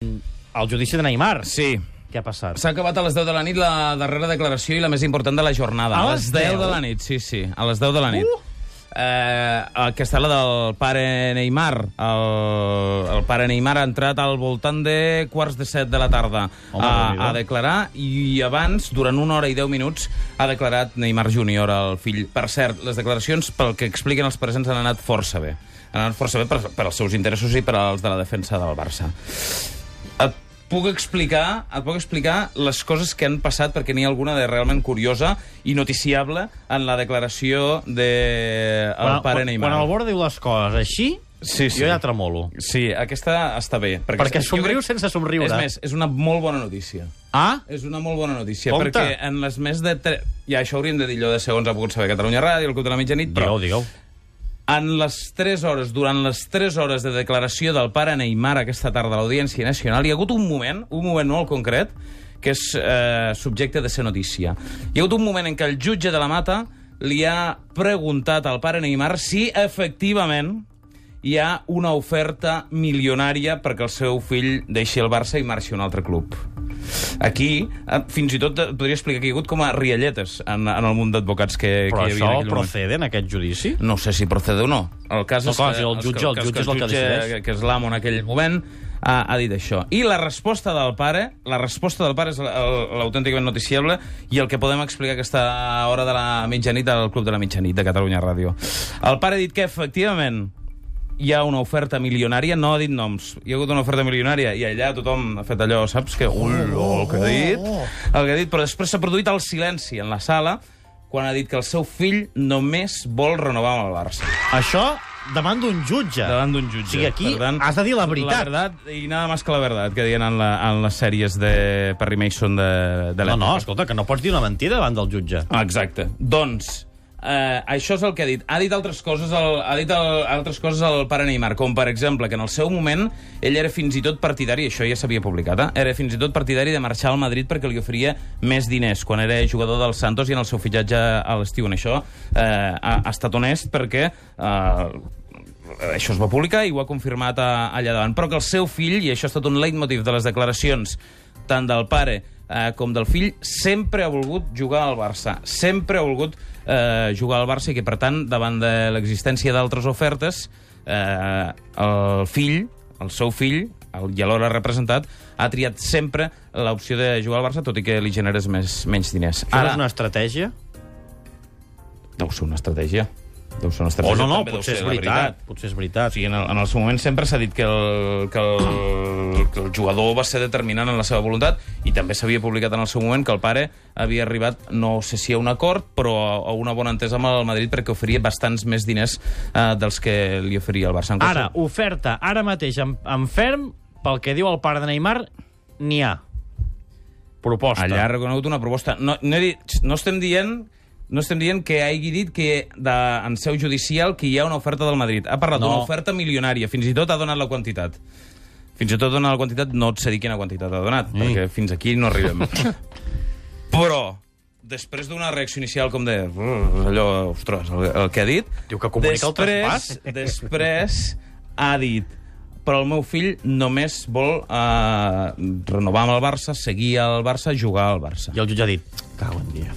El judici de Neymar. Sí. Què ha passat? S'ha acabat a les 10 de la nit la darrera declaració i la més important de la jornada. A les 10 de la nit, sí, a les 10 de la nit. Aquesta és la del pare Neymar. El pare Neymar ha entrat al voltant de 6:45 de la tarda a declarar, i abans, durant 1 hora i 10 minuts, ha declarat Neymar Júnior, el fill. Per cert, les declaracions, pel que expliquen els presents, han anat força bé. Han anat força bé per als seus interessos i per als de la defensa del Barça. Et puc explicar les coses que han passat, perquè n'hi ha alguna de realment curiosa i noticiable en la declaració del pare Neymar. Quan el Borja diu les coses així, sí. Jo ja tremolo. Sí, aquesta està bé. Perquè somriu sense somriure. És més, és una molt bona notícia. Ah? És una molt bona notícia, Compte. perquè en les més de... Ja, això hauríem de dir allò de segons ha pogut saber Catalunya Ràdio, el Club de la Mitjanit, però... Digueu. En les 3 hores, durant les 3 hores de declaració del pare Neymar aquesta tarda a l'Audiència Nacional, hi ha hagut un moment molt concret, que és subjecte de ser notícia. Hi ha hagut un moment en què el jutge de la Mata li ha preguntat al pare Neymar si efectivament hi ha una oferta milionària perquè el seu fill deixi el Barça i marxi a un altre club. Aquí, fins i tot podria explicar que hi ha hagut com a rialletes en el munt d'advocats que hi havia en aquell moment. Però això procede en aquest judici? No sé si procede o no. El cas és que el jutge és el que decideix. Que és l'amo en aquell moment ha dit això. I la resposta del pare és l'autènticament noticiable i el que podem explicar aquesta hora de la mitjanit al Club de la Mitjanit de Catalunya Ràdio. El pare ha dit que, efectivament, hi ha una oferta milionària, no ha dit noms. Hi ha hagut una oferta milionària i allà tothom ha fet allò, saps? Que, el que ha dit, però després s'ha produït el silenci en la sala quan ha dit que el seu fill només vol renovar amb el Barça. Això davant d'un jutge. Davant d'un jutge. O sigui, aquí has de dir la veritat. La verdad y nada más que la verdad, que diuen en les sèries de Perry Mason de l'època. No, escolta, que no pots dir una mentida davant del jutge. Exacte. Doncs, això és el que ha dit. Ha dit altres coses al pare Neymar, com per exemple que en el seu moment ell era fins i tot partidari, això ja s'havia publicat, era fins i tot partidari de marxar al Madrid perquè li oferia més diners quan era jugador del Santos i en el seu fitxatge a l'estiu. En això ha estat honest perquè això es va publicar i ho ha confirmat allà davant. Però que el seu fill, i això ha estat un leitmotiv de les declaracions tant del pare com del fill, sempre ha volgut jugar al Barça. Sempre ha volgut jugar al Barça i que, per tant, davant de l'existència d'altres ofertes, el seu fill, i alhora representat, ha triat sempre l'opció de jugar al Barça, tot i que li generes menys diners. Això és una estratègia? Deu ser una estratègia. O no, potser és veritat. Potser és veritat. O sigui, en el seu moment sempre s'ha dit que el jugador va ser determinant en la seva voluntat, i també s'havia publicat en el seu moment que el pare havia arribat, no sé si a un acord, però a una bona entesa amb el Madrid perquè oferia bastants més diners dels que li oferia el Barça. Ara, oferta, ara mateix, en ferm, pel que diu el pare de Neymar, n'hi ha. Proposta. Allà ha reconegut una proposta. No estem dient que hagi dit que en seu judicial que hi ha una oferta del Madrid. Ha parlat d'una oferta milionària. Fins i tot ha donat la quantitat. Fins i tot ha donat la quantitat, no et sé dir quina quantitat ha donat, perquè fins aquí no arribem. Però, després d'una reacció inicial com de... allò, ostres, el que ha dit... Diu que comunica el traspàs. Després ha dit... Però el meu fill només vol renovar amb el Barça, seguir al Barça, jugar al Barça. I el jutge ha dit... Cago en dia.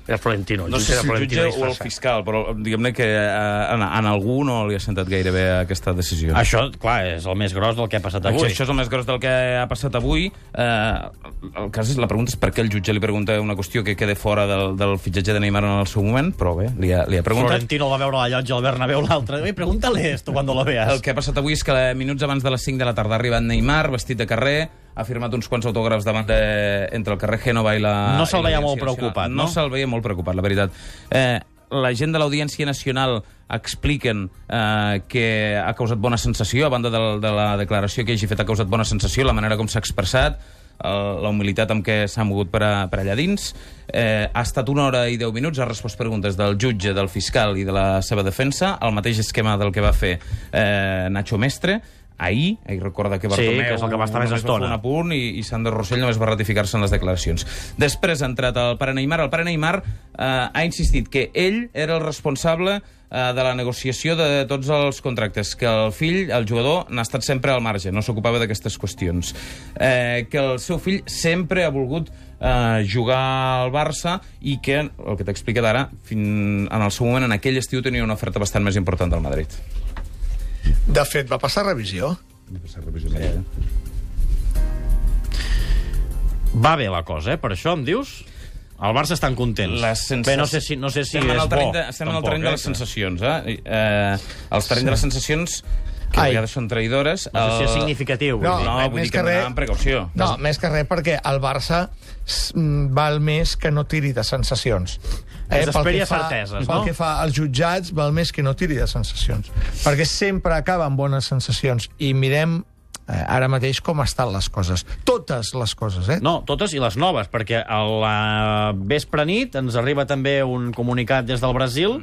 Era Florentino. No sé si el jutge o el fiscal, però diguem-ne que en algú no li ha sentat gaire bé aquesta decisió. Això, clar, és el més gros del que ha passat avui. Això és el més gros del que ha passat avui. El cas és, la pregunta és per què el jutge li pregunta una qüestió que queda fora del fitxatge de Neymar en el seu moment, però bé, li ha preguntat. Florentino el va veure a la llotja al Bernabéu l'altre. Pregúntale esto cuando lo veas. El que ha passat avui és que minuts abans de les 5 de la tarda ha arribat Neymar, vestit de carrer, ha firmat uns quants autògrafs entre el carrer Génova i la... No se'l veia molt preocupat, no? No se'l veia molt preocupat, la veritat. La gent de l'Audiència Nacional expliquen que ha causat bona sensació, a banda de la declaració que hagi fet, ha causat bona sensació, la manera com s'ha expressat, la humilitat amb què s'ha mogut per allà dins. Ha estat 1 hora i 10 minuts, ha respost preguntes del jutge, del fiscal i de la seva defensa, el mateix esquema del que va fer Nacho Mestre. ahir recorda que Bartomeu que és el que va estar més estona. un apunt i Sandro Rossell només va ratificar-se en les declaracions. Després ha entrat el pare Neymar. El pare Neymar ha insistit que ell era el responsable de la negociació de tots els contractes, que el fill, el jugador, n'ha estat sempre al marge, no s'ocupava d'aquestes qüestions, que el seu fill sempre ha volgut jugar al Barça i que, el que t'he explicat ara, en el seu moment, en aquell estiu, tenia una oferta bastant més important del Madrid. De fet, va passar revisió. Va bé la cosa, per això em dius? Al Barça estan contents. Bé, no sé si estem és bo. Estem en el terreny de les sensacions, els terrenys de les sensacions que a vegades són traïdores. No sé si és significatiu. Vull dir que hem amb precaució. No, més que res perquè el Barça val més que no tiri de sensacions. Esperi a certeses, no? Pel que fa als jutjats, val més que no tiri de sensacions. Perquè sempre acaba amb bones sensacions. I mirem ara mateix com estan les coses. Totes les coses, No, totes i les noves, perquè a la vespre nit ens arriba també un comunicat des del Brasil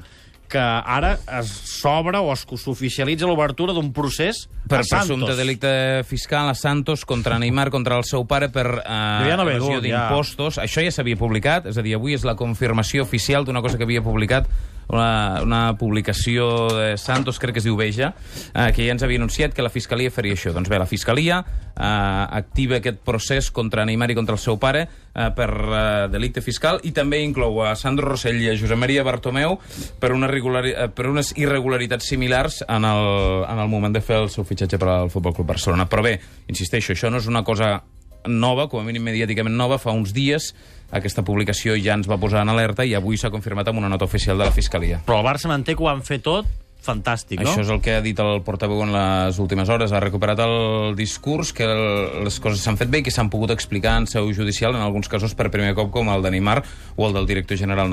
que ara s'obre o s'oficialitza l'obertura d'un procés per a Santos. presumpte delicte fiscal a Santos contra Neymar, contra el seu pare per evasió d'impostos. Això ja s'havia publicat, és a dir, avui és la confirmació oficial d'una cosa que havia publicat una publicació de Santos, crec que es diu Veja, que ja ens havia anunciat que la Fiscalia faria això. Doncs bé, la Fiscalia activa aquest procés contra Neymar i contra el seu pare per delicte fiscal i també inclou a Sandro Rossell i a Josep Maria Bartomeu per unes irregularitats similars en el moment de fer el seu fitxatge per al Futbol Club Barcelona. Però bé, insisteixo, això no és una cosa nova, com a mínim mediàticament nova. Fa uns dies aquesta publicació ja ens va posar en alerta i avui s'ha confirmat amb una nota oficial de la Fiscalia. Però el Barça manté que ho han fet tot fantàstic, no? Això és el que ha dit el portaveu en les últimes hores. Ha recuperat el discurs, que les coses s'han fet bé i que s'han pogut explicar en seu judicial, en alguns casos per primer cop, com el de Neymar o el del director general